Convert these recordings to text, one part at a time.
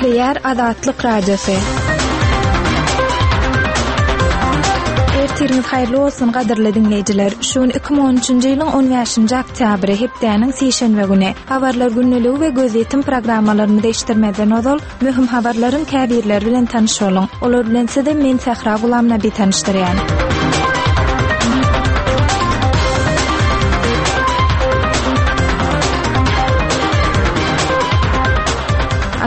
Gepleýär Azatlyk Radiosy. Ertiriňiz haýyrly bolsun, gadyrly diňleýjiler! Şu gün 2013-nji ýylyň 15-nji oktýabry, hepdäniň sişenbe güni. Habarlar gündeligi we gözýetim programmalarymyzy eşitdirmezden ozal, Möhüm habarlaryň käbirleri bilen tanyş boluň. Olar bilen sizi men Sähra Gulamnabi tanyşdyrýan.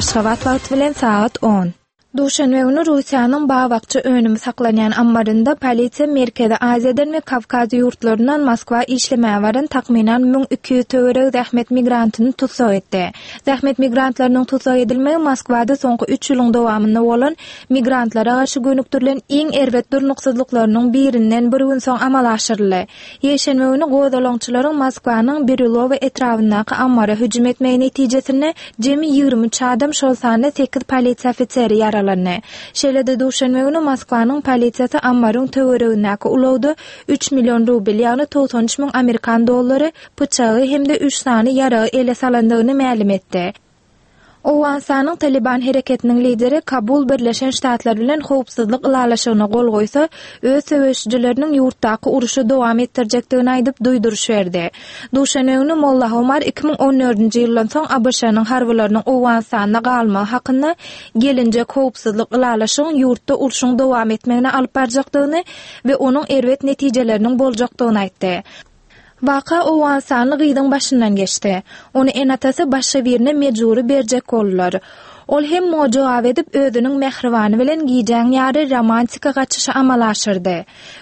Aşgabat wagty bilen sagat on. Duşenbe güni Russiýanyň bag-bakja önümi saklanýan ammarynda polisiýa Merkezi Aziýadan we Kawkaz ýurtlaryndan Moskwa işlemäge baran takmynan 1200 töweregi zähmet migrantyny tussag etdi. Zähmet migrantlarynyň tussag edilmegi Moskwada soňky üç ýylyň dowamynda bolan migrantlara garşy gönükdirilen iň erbet durnuksyzlyklarynyň birinden bir gün soň amala aşyryldy. Ýekşenbe güni gozgalaňçylaryň Moskwanyň Birýulowo etrabyndaky ammara hüjüm etmegi netijesinde jemi 23 adam, şol sanda sekiz polisiýa ofiseri ýaralandy. Şeýle-de duşenbe güni Moskwanyň polisiýasy ammaryň töweregindäki ulagda üç million rubl, ýagny 93 müň amerikan dollary pyçagy hem-de üç sany ýaragy ele salandygyny mälim etdi. Owganystanyň Talyban hereketiniň lideri Kabul Birleşen Ştatlar bilen howpsuzlyk ylalaşygyna gol goýsa, öz söweşijileriniň ýurtdaky urşy dowam etdirjekdigini aýdyp duýduryş berdi. Duşenbe güni Mollah Omar 2014-nji ýyldan soň ABŞ-nyň harbylarynyň Owganystanda galmagy hakynda gelinjek howpsuzlyk ylalaşygyň ýurtda urşuň dowam etmegine alyp barjakdygyny we onuň erbet netijeleriniň boljakdygyny aýtdy. Waka owganystanly gyzyň başyndan geçdi. Ony ene-atasy başga birine mejbury berjek boldular. Ol hem muňa jogap edip, özüniň mähribany bilen gijäň ýary romantika gaçyşy amala aşyrdy.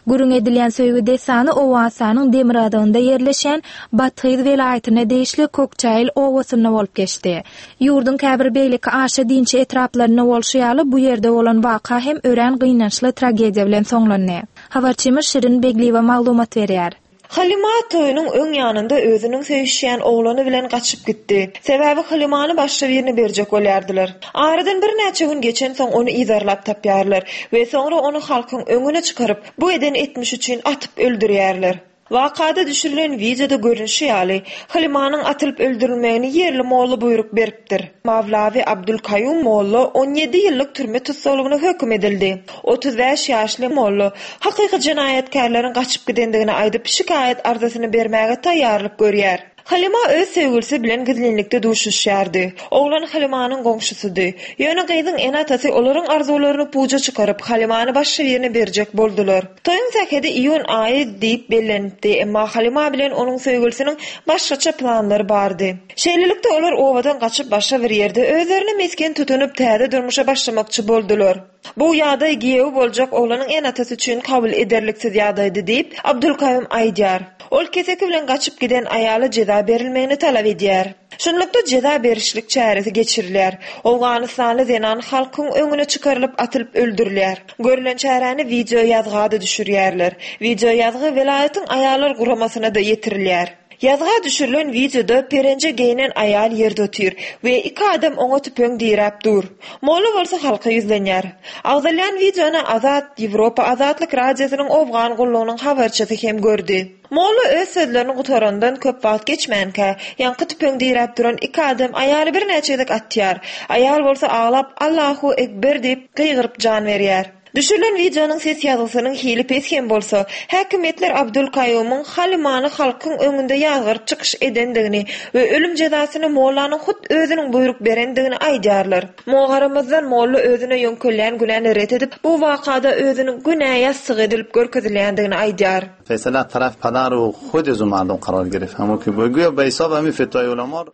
Gürrüň edilýän söýgi dessany Owganystanyň demirgazygynda ýerleşýän Bathyz welaýatyna degişli Kokçaýyl obasynda bolup geçdi. Ýurduň käbir beýleki aşa dinçi etraplarynda bolşy ýaly, bu ýerde bolan waka hem örän gynançly tragediýa bilen soňlandy. Habarçymyz Şirin Begliýewa maglumat berýär. Halyma toýunyň öň ýanynda özüniň söýüşýän oglany bilen gaçyp gitdi. Sebäbi Halymany başga birine berjek bolýardylar. Aradan birnäçe gün geçensoň ony yzarlap tapýarlar we soňra ony halkyň öňüne çykaryp, bu eden etmişi üçin atyp öldürýärler. Wakada düşürilen wideoda görnüşi ýaly, Halymanyň atylyp öldürilmegini ýerli molla buýruk beripdir. Mawlawi Abdulkaýum molla 17 ýyllyk türme tussaglygyna höküm edildi. 35 ýaşly molla hakyky jenaýatkärleriň gaçyp gidendigini aýdyp, şikaýat arzasyny bermäge taýýarlyk görýär. Halyma öz söýgülisi bilen gizlinlikde duşuşýardy. Oglan Halymanyň goňşusydy. Ýöne gyzyň ene-atasy olaryň arzuwlaryny puja çykaryp, Halymany başga birine berjek boldular. Toýuň sähedi iýun aýy diýip bellenipdi, emma Halyma bilen onuň söýgülisiniň başgaça planlary bardy. Şeýlelikde, olar obadan gaçyp başga bir ýerde özlerine mesgen tutunyp täze durmuşa başlamakçy boldular. Bu ýagdaý giýew boljak oglanyň ene-atasy üçin kabul ederliksiz ýagdaýdy diýip, Abdulkaýum aýdýar. Ol keseki bilen gaçyp giden aýala jeza berilmegini talap edýär. Şunlukda jeza berişlik çäresi geçirilýär. Owganystanly zenan halkyň öňüne çykarylyp atylyp öldürilýär. Görlen çäräni wideoýazga-da düşürýärler. Wideoýazgy welaýatyň aýallar guramasyna-da ýetirilýär. Ýazga düşürilen wideoda perenje geýnen aýal ýerde otyr we iki adam oňa tüpeň diräp dur. Molla bolsa halka ýüzlenýär. Agzalýan wideony Azat Ýewropa Azatlyk Radiosynyň Owgan gullugynyň habarçysy hem gördi. Molla öz sözlerini gutarandan köp wagt geçmänkä, ýaňky tüpeň diräp duran iki adam aýaly birnäçe gezek atýar. Aýal bolsa aglap Allahu Ekber diýip gygyryp jan berýär. Düşürilen wideonyň ses ýazgysynyň hili pes hem bolsa, häkimiýetler Abdulkaýumyň Halymany halkyň öňünde ýazgaryp çykyş edendigini we ölüm jezasyny mollanyň hut özüniň buýruk berendigini aýdýarlar. Muňa garamazdan, molla özüne ýöňkelýän günäni ret edip, bu wakada özüniň günä ýassyk edilip görkezilýändigini aýdýar. Feýsala taraf padar u hud zu mardum karar gereft hamo ki güýa be hisab hami fetwai ulama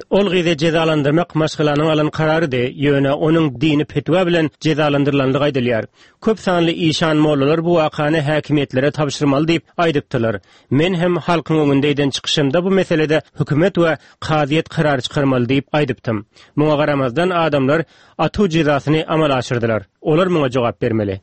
Ol gyzy jezalandyrmak maşgalanyň alan kararydy, ýöne onuň dini petwa bilen jezalandyrylandygy aýdylýar. Köp sanly işan-mollalar bu wakany häkimiýetlere tabşyrmaly diýip aýdypdylar. Men hem halkyň öňünde eden çykyşymda bu meselede hökümet we kazyýet karar çykarmaly diýip aýdypdym. Muňa garamazdan adamlar atuw jezasyny amala aşyrdylar. Olar muňa jogap bermeli.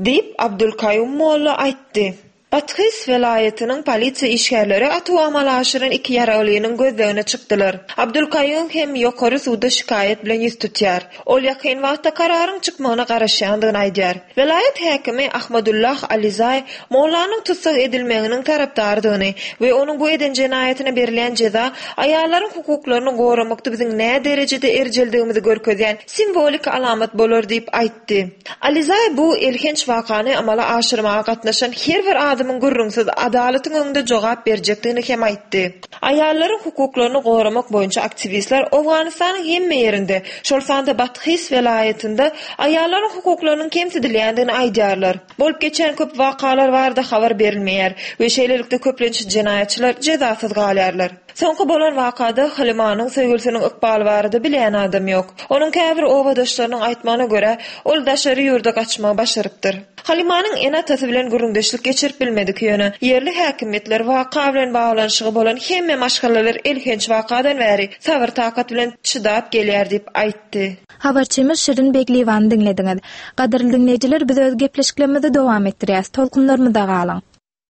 Diýip, Abdulkaýum molla aýtdy. Bathyz welaýatynyň polisiýa işgärleri atuw amala aşyran iki ýaraglynyň gözlegine çykdylar. Abdulkaýum hem ýokary suda şikaýat bilen ýüz tutýar. Ol ýakyn wagtda kararyň çykmagyna garaşýandygyny aýdýar. Welaýat häkimi Ahmadullah Alizaý mollanyň tussag edilmeginiň tarapdarydygyny we onuň bu eden jenaýatyna berilýän jeza aýallaryň hukuklaryny goramakda biziň näderejede erjeldigimizi görkezýän simwolik alamat bolar diýip aýtdy. Alizaý bu elhenç wakany amala aşyrmaga gatnaşan her bir adamyň gürrüňsiz adalatyň öňünde jogap berjekdigini hem aýtdy. Aýallaryň hukuklaryny goramak boýunça aktiwistler Owganystanyň hemme ýerinde, şol sanda Bathyz welaýatynda aýallaryň hukuklarynyň kemsidilýändigini aýdýarlar. Bolup geçýän köp wakalar barada habar berilmeýär we şeýlelikde köplenç jenaýatçylar jezasyz galýarlar. Soňky bolan wakada Halimanyň söýgülisiniň ykbaly barada bilýän adam ýok. Onuň käbir obadaşlarynyň aýtmagyna görä, ol daşary ýurda gaçmagy başarypdyr. Halimanyň ene-atasy bilen gürrüňdeşlik geçirip bilmedik, ýöne ýerli häkimiýetler waka bilen baglanyşygy bolan hemme maşgalalar elhenç wakadan bäri sabyr-takat bilen çydap gelýär diýip aýtdy. Habarçymyz Şirin Begliýewany diňlediňiz. Gadyrly diňleýjiler biz öz gepleşiklerimizi dowam etdirýäs. Tolkunlarymyzda galyň.